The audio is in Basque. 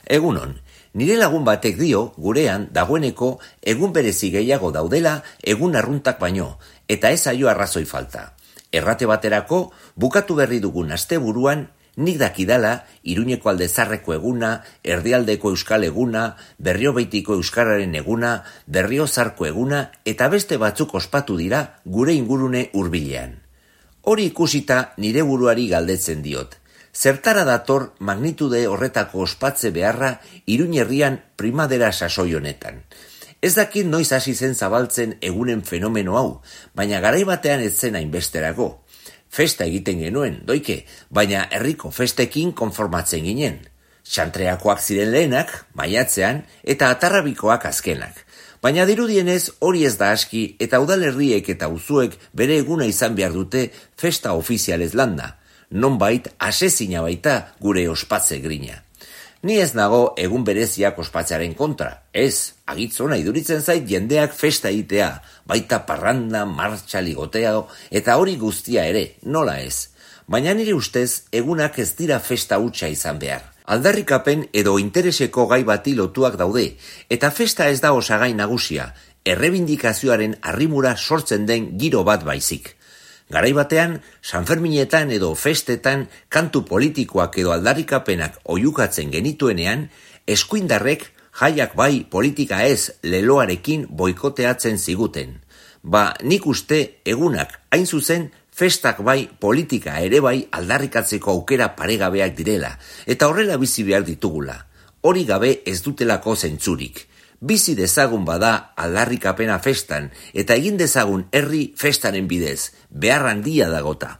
Egunon, nire lagun batek dio gurean dagoeneko egun berezi gehiago daudela egun arruntak baino, eta ez zaio arrazoi falta. Errate baterako, bukatu berri dugun asteburuan, nik dakidala Iruñeko Aldezarreko eguna, Erdialdeko Euskal eguna, Berriobeitiko Euskararen eguna, Berriozarko eguna, eta beste batzuk ospatu dira gure ingurune hurbilean. Hori ikusita nire buruari galdetzen diot. Zertara dator magnitude horretako ospatze beharra Iruñ herrian primadera sasoi honetan. Ez dakit noiz hasi zen zabaltzen egunen fenomeno hau, baina garai batean ez zen hainbesterago. Festa egiten genuen, doike, baina herriko festekin konformatzen ginen. Xantreakoak ziren lehenak, maiatzean, eta atarrabikoak azkenak. Baina dirudienez hori ez da aski eta udalerriek eta auzuek bere eguna izan behar dute festa ofizialez landa. Nonbait asezina baita gure ospatze grina. Ni ez nago egun bereziak ospatzearen kontra. Ez, agitzona iduritzen zait jendeak festa egitea, baita parranda, martxa, ligotea eta hori guztia ere, nola ez. Baina nire ustez egunak ez dira festa hutsa izan behar. Aldarrikapen edo intereseko gai bati lotuak daude, eta festa ez da osagai nagusia, errebindikazioaren arrimura sortzen den giro bat baizik. Garai batean, Sanferminetan edo festetan kantu politikoak edo aldarrikapenak oihukatzen genituenean, eskuindarrek jaiak bai politika ez leloarekin boikoteatzen ziguten. Nik uste egunak hain zuzen festak bai politika ere bai aldarrikatzeko aukera paregabeak direla, eta horrela bizi behar ditugula. Hori gabe ez dutelako zentzurik. Bizi dezagun bada aldarrikapena festan, eta egin dezagun herri festaren bidez, behar handia dagota.